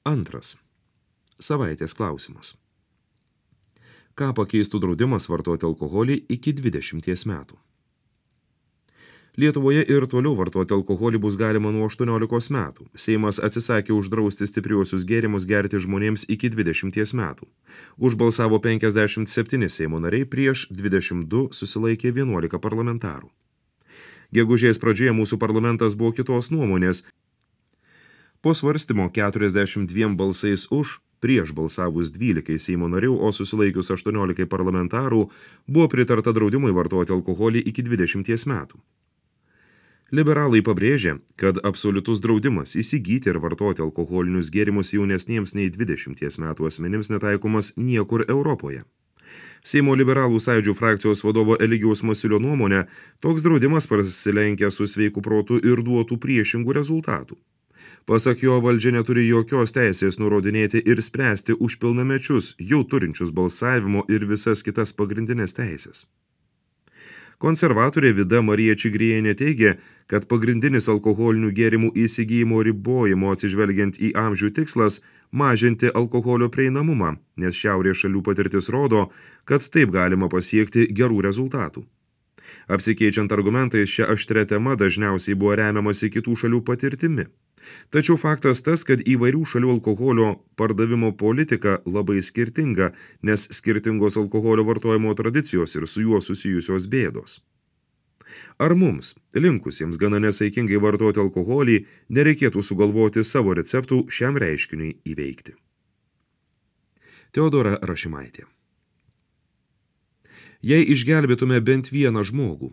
Antras. Savaitės klausimas. Ką pakeistų draudimas vartoti alkoholį iki 20 metų? Lietuvoje ir toliau vartoti alkoholį bus galima nuo 18 metų. Seimas atsisakė uždrausti stipriuosius gėrimus gerti žmonėms iki 20 metų. Užbalsavo 57 Seimo nariai, prieš 22 susilaikė 11 parlamentarų. Gegužės pradžioje mūsų parlamentas buvo kitos nuomonės. Po svarstymo 42 balsais už, prieš balsavus 12 Seimo narių, o susilaikius 18 parlamentarų, buvo pritarta draudimui vartoti alkoholį iki 20 metų. Liberalai pabrėžia, kad absoliutus draudimas įsigyti ir vartoti alkoholinius gėrimus jaunesniems nei 20 metų asmenims netaikomas niekur Europoje. Seimo liberalų sąjūdžių frakcijos vadovo Eligijaus Masiulio nuomonė, toks draudimas prasilenkia su sveiku protu ir duotų priešingų rezultatų. Pasak jo, valdžia neturi jokios teisės nurodinėti ir spręsti už pilnamečius, jau turinčius balsavimo ir visas kitas pagrindinės teisės. Konservatorė Vida Marija Čigrienė teigia, kad pagrindinis alkoholinių gėrimų įsigijimo ribojimo atsižvelgiant į amžių tikslas mažinti alkoholio prieinamumą, nes šiaurės šalių patirtis rodo, kad taip galima pasiekti gerų rezultatų. Apsikeičiant argumentais, šia aštria tema dažniausiai buvo remiamasi kitų šalių patirtimi. Tačiau faktas tas, kad įvairių šalių alkoholio pardavimo politika labai skirtinga, nes skirtingos alkoholio vartojimo tradicijos ir su juo susijusios bėdos. Ar mums, linkusiems gana nesaikingai vartoti alkoholį, nereikėtų sugalvoti savo receptų šiam reiškiniui įveikti? Teodora Rašimaitė. Jei išgelbėtume bent vieną žmogų,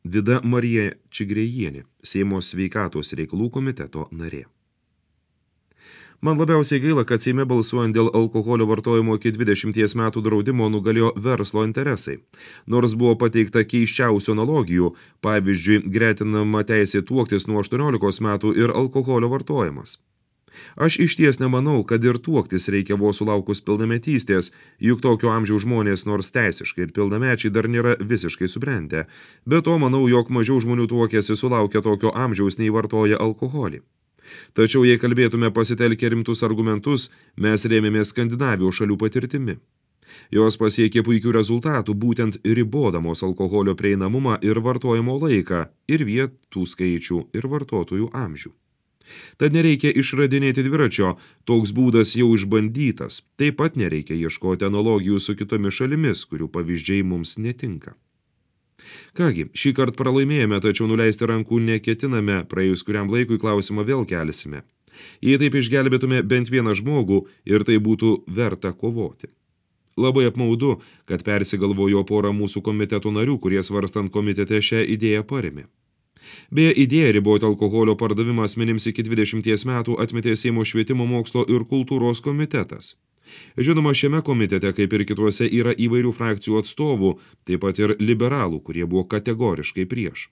Vida Marija Čigrienė, Seimo sveikatos reikalų komiteto narė. Man labiausiai gaila, kad Seime balsuojant dėl alkoholio vartojimo iki 20 metų draudimo nugalėjo verslo interesai. Nors buvo pateikta keisčiausių analogijų, pavyzdžiui, gretinama teisė tuoktis nuo 18 metų ir alkoholio vartojimas. Aš išties nemanau, kad ir tuoktis reikia vos sulaukus pilnametystės, juk tokio amžiaus žmonės nors teisiškai ir pilnamečiai dar nėra visiškai subrendę. Be to, manau, jog mažiau žmonių tuokiasi sulaukia tokio amžiaus nei vartoja alkoholį. Tačiau, jei kalbėtume pasitelkę rimtus argumentus, mes rėmėmės Skandinavijos šalių patirtimi. Jos pasiekė puikių rezultatų, būtent ribodamos alkoholio prieinamumą ir vartojimo laiką, ir vietų skaičių, ir vartotojų amžių. Tad nereikia išradinėti dviračio, toks būdas jau išbandytas. Taip pat nereikia ieškoti analogijų su kitomis šalimis, kurių pavyzdžiai mums netinka. Kągi, šį kartą pralaimėjome, tačiau nuleisti rankų neketiname, praėjus kuriam laikui klausimą vėl kelsime. Jei taip išgelbėtume bent vieną žmogų ir tai būtų verta kovoti. Labai apmaudu, kad persigalvojo porą mūsų komiteto narių, kurie svarstant komitete šią idėją parėmė. Beje, idėja riboti alkoholio pardavimą asmenims iki 20 metų atmetė Seimo švietimo, mokslo ir kultūros komitetas. Žinoma, šiame komitete, kaip ir kituose, yra įvairių frakcijų atstovų, taip pat ir liberalų, kurie buvo kategoriškai prieš.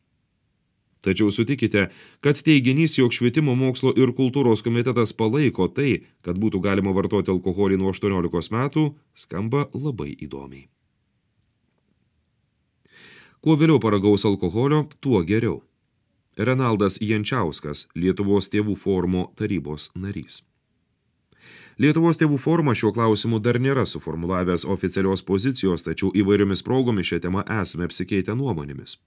Tačiau sutikite, kad teiginys, jog švietimo, mokslo ir kultūros komitetas palaiko tai, kad būtų galima vartoti alkoholį nuo 18 metų, skamba labai įdomiai. Kuo vėliau paragaus alkoholio, tuo geriau. Renaldas Jančiauskas, Lietuvos tėvų forumo tarybos narys. Lietuvos tėvų forumas šiuo klausimu dar nėra suformulavęs oficialios pozicijos, tačiau įvairiomis progomis šią temą esame apsikeitę nuomonėmis.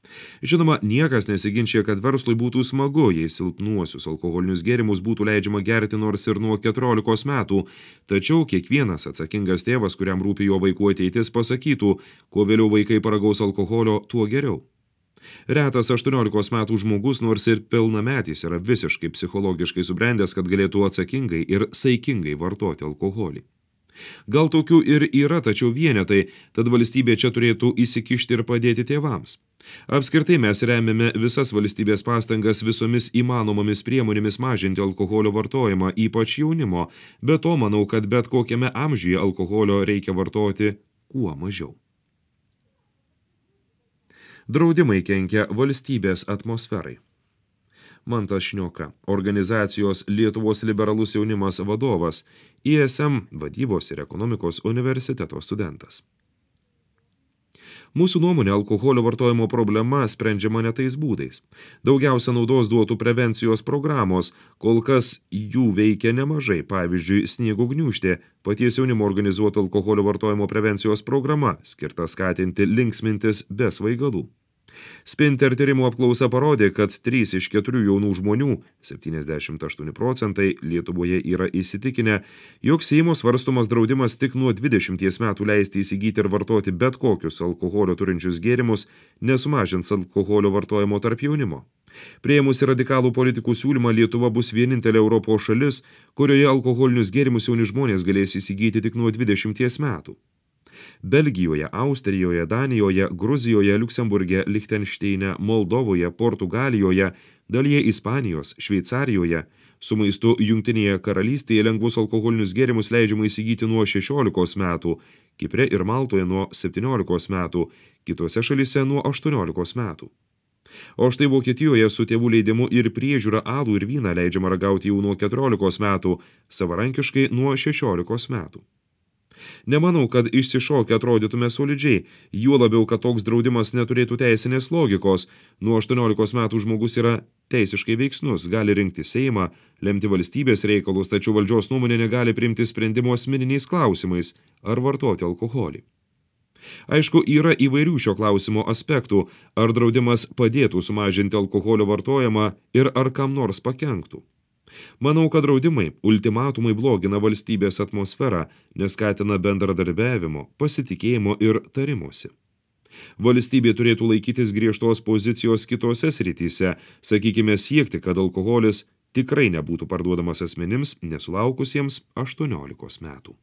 Žinoma, niekas nesiginčia, kad verslui būtų smagu, jei silpnuosius alkoholinius gėrimus būtų leidžiama gerti nors ir nuo 14 metų, tačiau kiekvienas atsakingas tėvas, kuriam rūpi jo vaikų ateitis, pasakytų, kuo vėliau vaikai paragaus alkoholio, tuo geriau. Retas 18 metų žmogus, nors ir pilnametis, yra visiškai psichologiškai subrendęs, kad galėtų atsakingai ir saikingai vartoti alkoholį. Gal tokių ir yra, tačiau vienetai, tad valstybė čia turėtų įsikišti ir padėti tėvams. Apskritai mes remiame visas valstybės pastangas visomis įmanomomis priemonėmis mažinti alkoholio vartojimą, ypač jaunimo, bet to manau, kad bet kokiame amžiuje alkoholio reikia vartoti kuo mažiau. Draudimai kenkia valstybės atmosferai. Mantas Šnioka, organizacijos Lietuvos liberalus jaunimas vadovas, ISM vadybos ir ekonomikos universiteto studentas. Mūsų nuomonė, alkoholio vartojimo problema sprendžiama ne tais būdais. Daugiausia naudos duotų prevencijos programos, kol kas jų veikia nemažai, pavyzdžiui, Sniego gniūžtė, paties jaunimo organizuota alkoholio vartojimo prevencijos programa, skirta skatinti linksmintis be svaigalų. Spinter tyrimų apklausa parodė, kad 3 iš 4 jaunų žmonių, 78%, Lietuvoje yra įsitikinę, jog Seimo svarstomas draudimas tik nuo 20 metų leisti įsigyti ir vartoti bet kokius alkoholio turinčius gėrimus nesumažins alkoholio vartojimo tarp jaunimo. Priėmusi radikalų politikų siūlymą, Lietuva bus vienintelė Europos šalis, kurioje alkoholinius gėrimus jauni žmonės galės įsigyti tik nuo 20 metų. Belgijoje, Austrijoje, Danijoje, Gruzijoje, Liuksemburge, Lichtenšteine, Moldovoje, Portugalijoje, dalyje Ispanijos, Šveicarijoje, su maistu Jungtinėje karalystėje lengvus alkoholinius gėrimus leidžiama įsigyti nuo 16 metų, Kipre ir Maltoje nuo 17 metų, kitose šalyse nuo 18 metų. O štai Vokietijoje su tėvų leidimu ir priežiūra alų ir vyną leidžiama ragauti jau nuo 14 metų, savarankiškai nuo 16 metų. Nemanau, kad išsišokę atrodytume solidžiai, juo labiau, kad toks draudimas neturėtų teisinės logikos. Nuo 18 metų žmogus yra teisiškai veiksnus, gali rinkti Seimą, lemti valstybės reikalus, tačiau valdžios nuomonė negali priimti sprendimo asmeniniais klausimais ar vartoti alkoholį. Aišku, yra įvairių šio klausimo aspektų, ar draudimas padėtų sumažinti alkoholio vartojimą ir ar kam nors pakenktų. Manau, kad draudimai, ultimatumai blogina valstybės atmosferą, neskatina bendradarbiavimo, pasitikėjimo ir tarimosi. Valstybė turėtų laikytis griežtos pozicijos kitose srityse, sakykime siekti, kad alkoholis tikrai nebūtų parduodamas asmenims nesulaukusiems 18 metų.